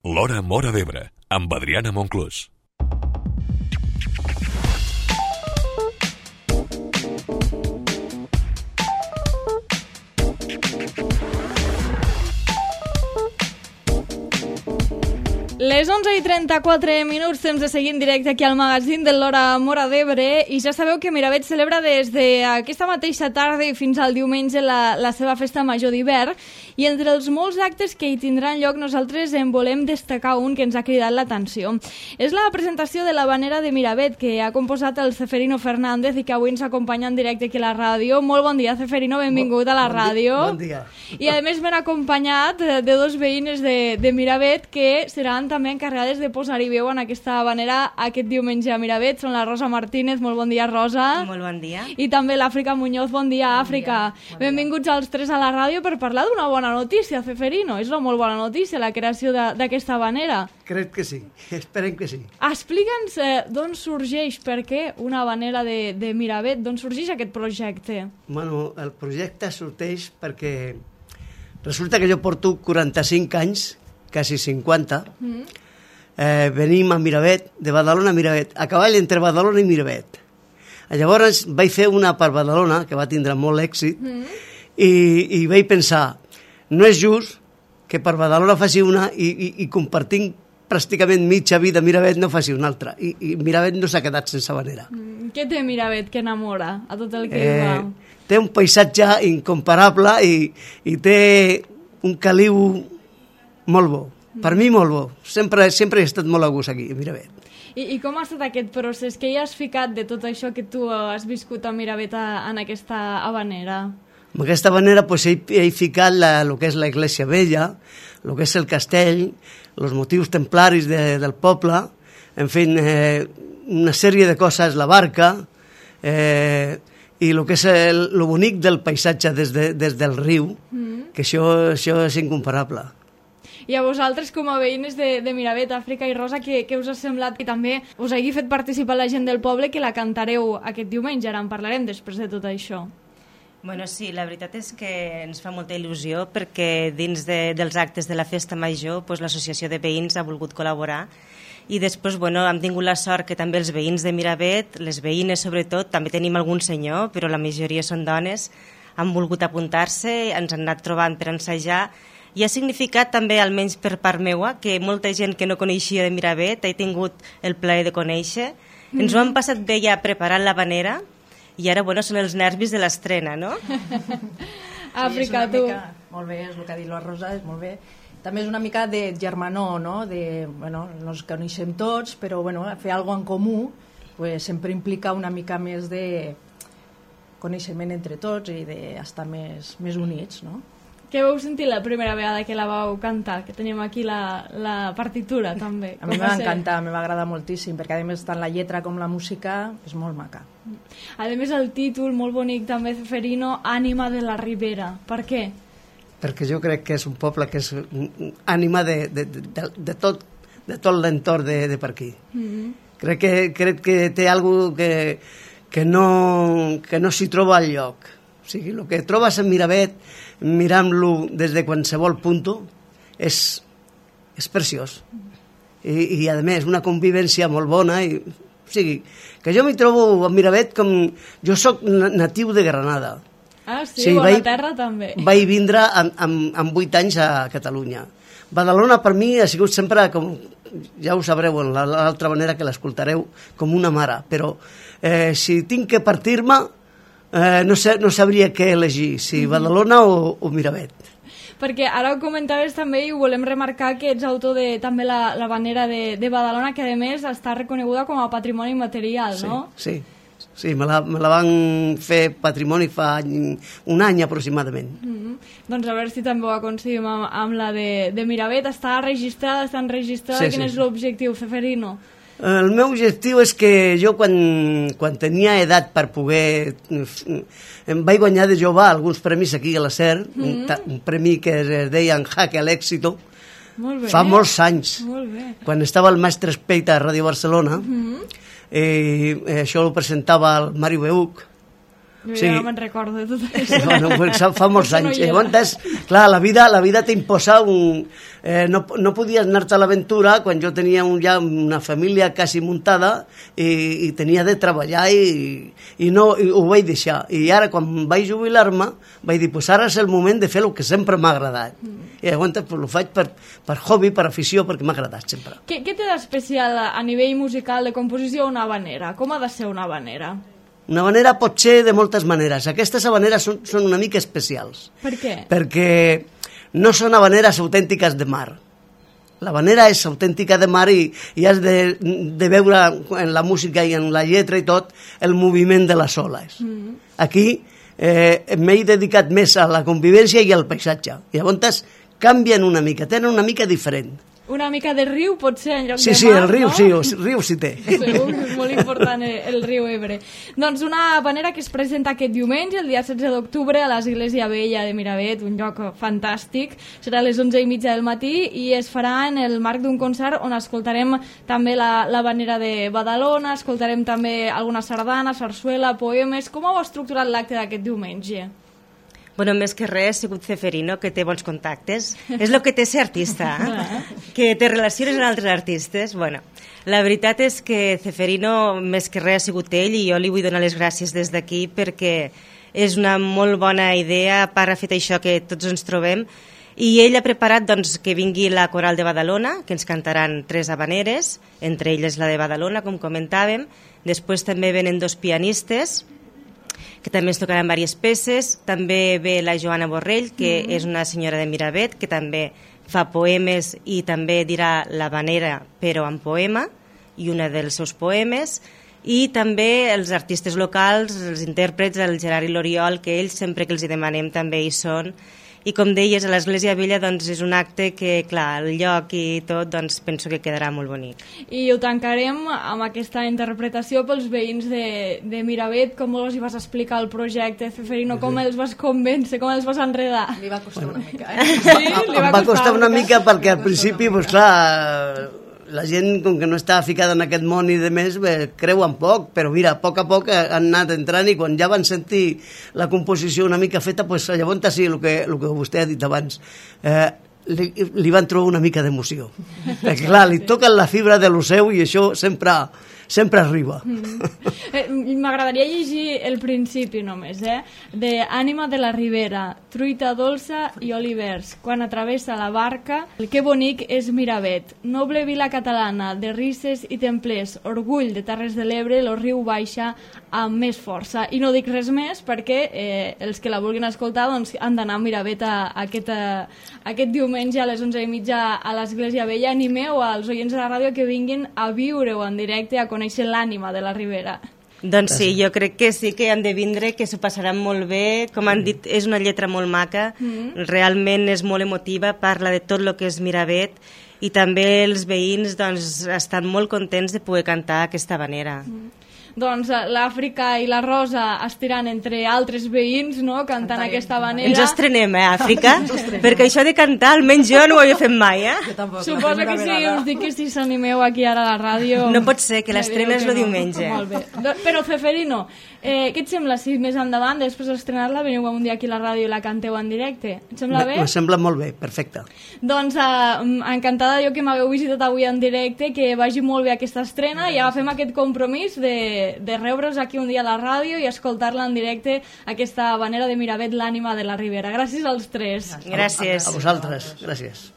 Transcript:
L'Hora Móra d'Ebre, amb Adriana Monclús. Les 11:34, temps de seguir en directe aquí al magazín de l'Hora Móra d'Ebre, i ja sabeu que Miravet celebra des d'aquesta mateixa tarda i fins al diumenge la seva festa major d'hivern, i entre els molts actes que hi tindran lloc nosaltres en volem destacar un que ens ha cridat l'atenció. És la presentació de l'habanera de Miravet, que ha composat el Ceferino Fernández i que avui ens acompanya en directe aquí a la ràdio. Molt bon dia, Ceferino, benvingut a la ràdio. Bon dia. I a més m'han acompanyat de dos veïnes de Miravet que seran també encarregades de posar-hi veu en aquesta habanera aquest diumenge a Miravet. Són la Rosa Martínez. Molt bon dia, Rosa. Molt bon dia. I també l'Àfrica Muñoz. Bon dia, Àfrica. Benvinguts als tres a la ràdio per parlar d'una bona notícia, Ceferino. És una molt bona notícia, la creació d'aquesta habanera. Crec que sí. Esperem que sí. Explica'ns d'on sorgeix, per què una habanera de Miravet, d'on sorgeix aquest projecte? Bueno, el projecte sorgeix perquè resulta que jo porto 45 anys, quasi 50, venim a Miravet, de Badalona a Miravet, a cavall entre Badalona i Miravet. Llavors vaig fer una per Badalona, que va tindre molt èxit, i vaig pensar, no és just que per Badalona faci una i compartint pràcticament mitja vida Miravet no faci una altra. I Miravet no s'ha quedat sense habanera. Què té Miravet que enamora a tot el que hi va? Té un paisatge incomparable i té un caliu molt bo. Per mi molt bo. Sempre he estat molt a gust aquí, a Miravet. I com ha estat aquest procés? Què hi has ficat de tot això que tu has viscut a Miravet en aquesta habanera? En aquesta habanera he ficat el que és l'església vella, el que és el castell, els motius templaris del poble, en fi, una sèrie de coses, la barca, i el que és el bonic del paisatge des del riu, que això és incomparable. I a vosaltres, com a veïnes de Miravet, Àfrica i Rosa, què us ha semblat? I també us hagi fet participar la gent del poble, que la cantareu aquest diumenge, ara en parlarem després de tot això. Bueno, sí, la veritat és que ens fa molta il·lusió perquè dins dels actes de la festa major l'associació de veïns ha volgut col·laborar i després hem tingut la sort que també els veïns de Miravet, les veïnes sobretot, també tenim algun senyor, però la majoria són dones, han volgut apuntar-se, ens han anat trobant per ensajar i ha significat també, almenys per part meua, que molta gent que no coneixia de Miravet he tingut el plaer de conèixer. Ens ho han passat bé ja preparant l'habanera i ara, són els nervis de l'estrena, no? Àfrica, tu. Molt bé, és el que ha dit la Rosa, és molt bé. També és una mica de germanor, no? Nos coneixem tots, però fer alguna cosa en comú sempre implica una mica més de coneixement entre tots i d'estar més units, no? Què vau sentir la primera vegada que la vau cantar? Que tenim aquí la partitura, també. A mi m'ha encantat, m'ha agradat moltíssim, perquè a més tant la lletra com la música és molt maca. A més el títol, molt bonic també, Ceferino, Ànima de la Ribera. Per què? Perquè jo crec que és un poble que és ànima de tot l'entorn de per aquí. Crec que té alguna cosa que no s'hi troba al lloc. O sigui, el que trobes en Miravet, mirant-lo des de qualsevol punt, és preciós. I a més, una convivència molt bona. O sigui, que jo m'hi trobo a Miravet com... Jo sóc natiu de Granada. Ah, sí, bona terra també. Vaig vindre amb 8 anys a Catalunya. Badalona per mi ha sigut sempre, com ja ho sabreu en l'altra manera que l'escoltareu, com una mare. Però si tinc que partir-me, no sabria què elegir, si Badalona o Miravet. Perquè ara ho comentaves també i ho volem remarcar que ets autor de també l'habanera de Badalona, que a més està reconeguda com a patrimoni material, no? Sí, me la van fer patrimoni fa un any aproximadament. Doncs a veure si també ho aconseguim amb la de Miravet. Està enregistrada? Sí. Quin és l'objectiu, Ceferino? El meu objectiu és que jo quan tenia edat per poder... Em vaig guanyar de jove alguns premis aquí a la SER, un premi que es deia Jaque al Éxito, fa molts anys, quan estava el mestre Espeita a Ràdio Barcelona, i això ho presentava el Mario Beuc, Jo Sí. ja me'n recordo de tot això. Bueno, pues fa molts Això no anys. hi era. Llavors, clar, la vida t'imposa no podies anar-te a l'aventura quan jo tenia ja una família quasi muntada i tenia de treballar i ho vaig deixar. I ara, quan vaig jubilar-me, vaig dir, pues ara és el moment de fer el que sempre m'ha agradat. I llavors pues, ho faig per hobby, per afició, perquè m'ha agradat sempre. Què té d'especial a nivell musical de composició una habanera? Com ha de ser una habanera? Una habanera pot ser de moltes maneres. Aquestes habaneres són una mica especials. Per què? Perquè no són habaneres autèntiques de mar. L'habanera és autèntica de mar i has de veure en la música i en la lletra i tot el moviment de les oles. Aquí m'he dedicat més a la convivència i al paisatge. I llavors canvien una mica, tenen una mica diferent. Una mica de riu pot ser en lloc Sí, de sí, mar, el riu, no? sí, el riu sí té. Segur que és molt important el riu Ebre. Doncs una habanera que es presenta aquest diumenge, el dia 16 d'octubre, a l'Església Vella de Miravet, un lloc fantàstic. Serà a les 11:30 del matí i es farà en el marc d'un concert on escoltarem també l'habanera de Badalona, escoltarem també alguna sardana, sarsuela, poemes. Com heu estructurat l'acte d'aquest diumenge? Bueno, més que res, ha sigut Ceferino, que té bons contactes. És el que té ser artista, que te relaciones amb altres artistes. Bueno, la veritat és que Ceferino, més que res, ha sigut ell, i jo li vull donar les gràcies des d'aquí perquè és una molt bona idea, a part ha fet això que tots ens trobem, i ell ha preparat doncs, que vingui la Coral de Badalona, que ens cantaran 3 habaneres, entre elles la de Badalona, com comentàvem. Després també venen 2 pianistes, que també ens tocaran diverses peces. També ve la Joana Borrell, que és una senyora de Miravet, que també fa poemes i també dirà l'habanera, però en poema, i una dels seus poemes. I també els artistes locals, els intèrprets, el Gerard i l'Oriol, que ells sempre que els hi demanem també hi són. I com deies, a l'Església Vella doncs, és un acte que, clar, el lloc i tot, doncs, penso que quedarà molt bonic. I ho tancarem amb aquesta interpretació pels veïns de Miravet. Com els hi vas explicar el projecte, Ceferino? Com els vas convèncer? Com els vas enredar? Li va costar una mica, Sí, li Em va costar una mica perquè al principi, pues, clar, la gent, com que no està ficada en aquest món i de més, creuen poc, però mira, a poc han anat entrant i quan ja van sentir la composició una mica feta, pues, llavors sí, el que vostè ha dit abans, li van trobar una mica d'emoció. Perquè clar, li toquen la fibra de lo seu i això sempre arriba. M'agradaria llegir el principi només, de Ànima de la Ribera, truita dolça i olivers, quan atravessa la barca, el que bonic és Miravet, noble vila catalana, de risses i templers, orgull de Terres de l'Ebre, el riu baixa amb més força. I no dic res més perquè els que la vulguin escoltar doncs, han d'anar a Miravet aquest diumenge a les 11:30 a l'Església Vella. Animeu als oients de la ràdio que vinguin a viure-ho en directe, a conèixer l'ànima de la Ribera. Doncs sí, jo crec que sí que han de vindre, que s'ho passaran molt bé. Com han dit, és una lletra molt maca, realment és molt emotiva, parla de tot el que és Miravet, i també els veïns doncs, estan molt contents de poder cantar aquesta habanera. Doncs l'Àfrica i la Rosa estiran entre altres veïns, no?, cantant aquesta habanera. Ens estrenem, Àfrica? Perquè això de cantar, almenys jo no ho havia fet mai, Jo tampoc. Suposo que sí, us dic que si s'animeu aquí ara a la ràdio... No pot ser, que l'estrena és que el diumenge. Molt bé. Però, Ceferino, què et sembla si més endavant, després d'estrenar-la, veniu un dia aquí a la ràdio i la canteu en directe? Et sembla bé? Me sembla molt bé, perfecte. Doncs encantada jo que m'hagueu visitat avui en directe, que vagi molt bé aquesta estrena i agafem aquest compromís de rebre-us aquí un dia a la ràdio i escoltar-la en directe, aquesta habanera de Miravet, l'ànima de la Ribera. Gràcies als 3. Gràcies. A vosaltres, gràcies.